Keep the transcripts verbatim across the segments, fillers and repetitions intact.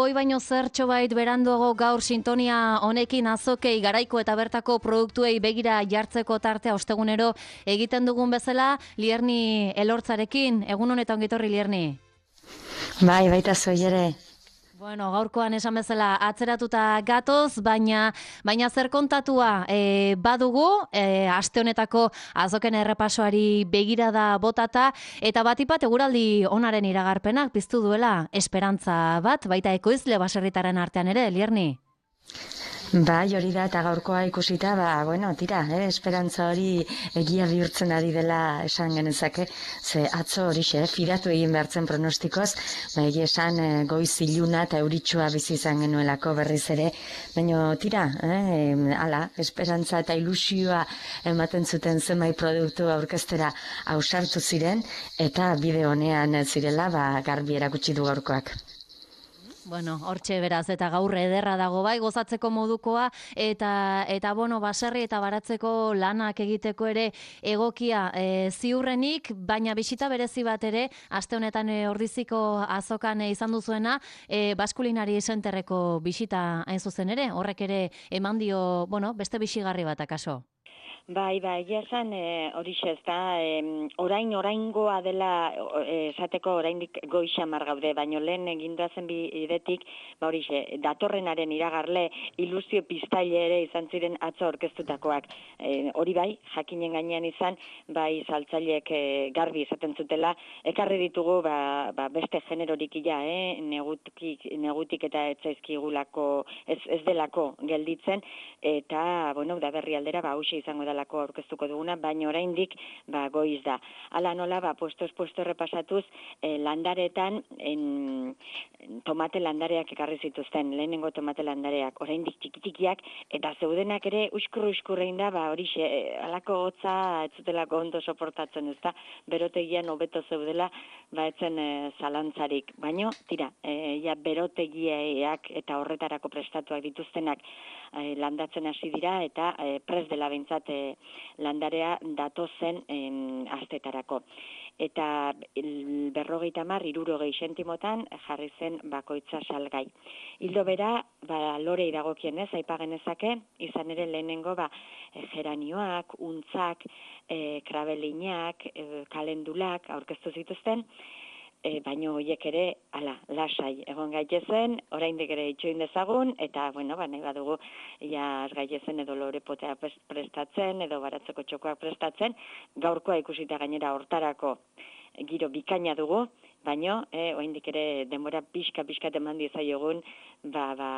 Hoi baino zertxo bait beranduago gaur sintonia honekin azokei garaiko eta bertako produktuei begira jartzeko tartea ostegunero egiten dugun bezala, Lierni Elortzarekin. Egun honetan gitorri, Lierni. Bai, baita zoi ere. Bueno, gaurkoan esan bezala atzeratuta gatoz, baina baina zer kontatua e, badugu, e, aste honetako azoken errepasoari begirada botata, eta batipat eguraldi onaren iragarpenak piztu duela esperantza bat, baita ekoizle baserritaren artean ere, Lierni. Bai, hori da, eta gaurkoa ikusita, ba, bueno, tira, eh, esperantza hori egia bihurtzen ari dela esan genezake, ze atzo horixe, eh, fidatu egin behartzen pronostikoz, ba, egia esan eh, goiz iluna eta euritsua bizi izan genuelako berriz ere, baina tira, eh, ala, esperantza eta ilusioa ematen zuten zenbait produktu aurkeztera ausartu ziren, eta bide honean zirela, ba, garbi erakutsi du gaurkoak. Bueno, hortxe beraz, eta gaur ederra dago bai, gozatzeko modukoa, eta, eta bueno, baserri eta baratzeko lanak egiteko ere egokia e, ziurrenik, baina bisita berezi bat ere, aste honetan e, ordiziko azokan e, izan duzuena, e, Baskulinari Centerreko bisita hain zuzen ere, horrek ere eman dio, bueno, beste bisigarri bat akaso. Bai, bai, egia esan horixe ez da, orain oraingoa dela esateko oraindik goixamar gaude, baino lehen eginda zen bidetik, ba horixe, datorrenaren iragarle ilusio piztaile ere izan ziren atzo aurkeztutakoak. E, hori bai, jakinen gainean izan, bai saltzaileek e, garbi esaten zutela, ekarri ditugu ba, ba beste generorik ia, eh, negutik, negutik eta etzaizkigulako, ez, ez delako gelditzen, eta, bueno, da berri aldera, ba, hauxe izango dela aurkeztuko duguna, baina oraindik ba goiz da. Hala nola ba puestos puesto repasatuz eh, landaretan en, tomate landareak ekarri zituzten, lehenengo tomate landareak oraindik txikitikiak eta zeudenak ere uskur uskurrein da, ba horixe eh, halako hotza ez zutelako ondo soportatzen, ezta? Berotegian hobeto zeudela, ba etzen eh, zalantzarik. Baino tira, eh, ja berotegiak eta horretarako prestatuak dituztenak eh, landatzen hasi dira eta eh, pres dela behintzat eh, landarea datozen em, astetarako. Eta berrogeita hamar, hirurogei sentimotan jarri zen bakoitza salgai. Hildo bera, ba, lorei dagokienez, aipagenezake, izan ere lehenengo ba, geranioak, untzak, e, krabelinak, e, kalendulak aurkeztu zituzten, E, baino horiek ere, ala, lasai, egon gaitezen, oraindik ere itxoin dezagun, eta, bueno, ba, nahi badugu, ja, gaitezen edo lorepotea prestatzen, edo baratzeko txokoak prestatzen, gaurkoa ikusita gainera hortarako giro bikaina dugu, baino, eh, oraindik ere denbora pixka-pixka eman diezaiogun, ba, ba,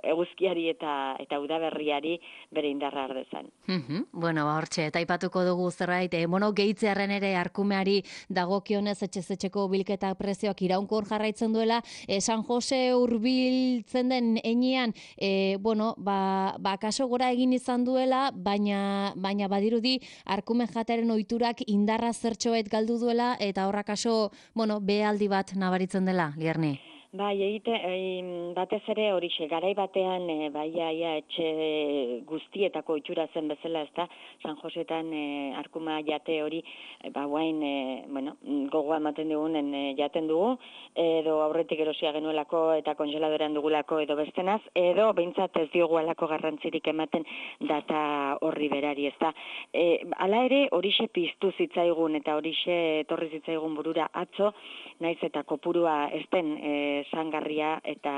eguzkiari eta eta udaberriari bere indarra ardezan. Mm-hmm. Bueno, ba, hortxe, eta aipatuko dugu zerbait, eh, bueno, gehitzearen ere arkumeari dagokionez etxezetxeko bilketa prezioak iraunkor jarraitzen duela, eh, San Jose hurbiltzen den enean, eh, bueno, ba, ba, kaso gora egin izan duela, baina, baina badirudi arkume jatearen ohiturak indarra zertxoet galdu duela, eta horra kaso, bueno, behaldi bat nabaritzen dela, Lierni. Bai, egite, batez ere horixe, garai batean, e, bai, ja, etxe guztietako itxura zen bezala, ez da, San Josetan e, arkuma jate hori, e, ba, guain, e, bueno, gogoa ematen digunen e, jaten dugu, edo aurretik erosia genuelako eta kongeladorean dugulako edo bestenaz, edo behintzat ez diogu alako garrantzirik ematen data horri berari, ez da. E, ala ere, horixe piztu zitzaigun eta horixe etorri zitzaigun burura atzo, naiz eta kopurua ezten e, sangarria eta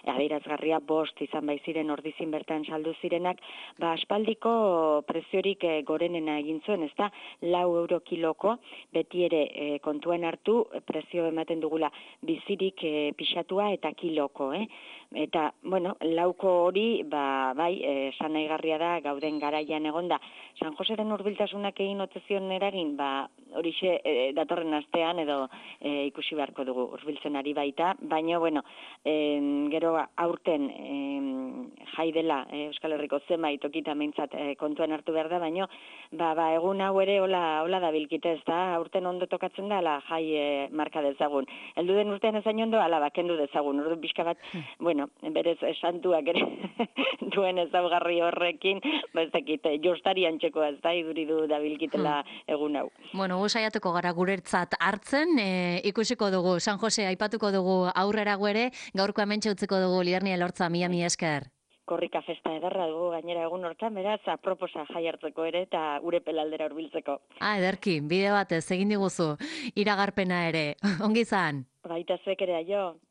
adierazgarria bost izan bai ziren ordizin bertan saldu zirenak, ba aspaldiko preziorik e, gorenena egin zuen, ezta? Lau euro kiloko, beti ere e, kontuan hartu prezio ematen dugula bizirik e, pixatua eta kiloko, eh? Eta, bueno, lauko hori, ba, bai, esan nahigarria da, gauden garaian egonda. San Joseren hurbiltasunak egin otzezion eragin, ba, horixe e, datorren astean edo e, ikusi beharko dugu hurbiltzen ari baita, baina, bueno, e, gero aurten e, jai dela e, Euskal Herriko zenbait tokita meintzat e, kontuan hartu behar da, baina, ba, ba, egun hau ere hola, hola da bilkite, ez da, aurten ondo tokatzen da, ala jai e, marka dezagun. Heldu den urtean ezain ondo, ala bakendu dezagun, urdu pixka bat, bueno, berez santuak ere duen ezaugarri horrekin, ba ez dakit, jostari antxekoa ez da, iduridu da bilkitela egun hau. Bueno, gu saiatuko gara guretzat hartzen, e, ikusiko dugu, San Jose aipatuko dugu aurrera ere, gaurko hemen utziko dugu Lierni Elortza, mila mi esker. Korrika festa edarra dugu gainera egun hortan, beraz, aproposa jai hartzeko ere eta Urepelaldera hurbiltzeko. Ah, ederki, bide batez egin diguzu, iragarpena ere, ongi izan. Baita zuek ere, aio.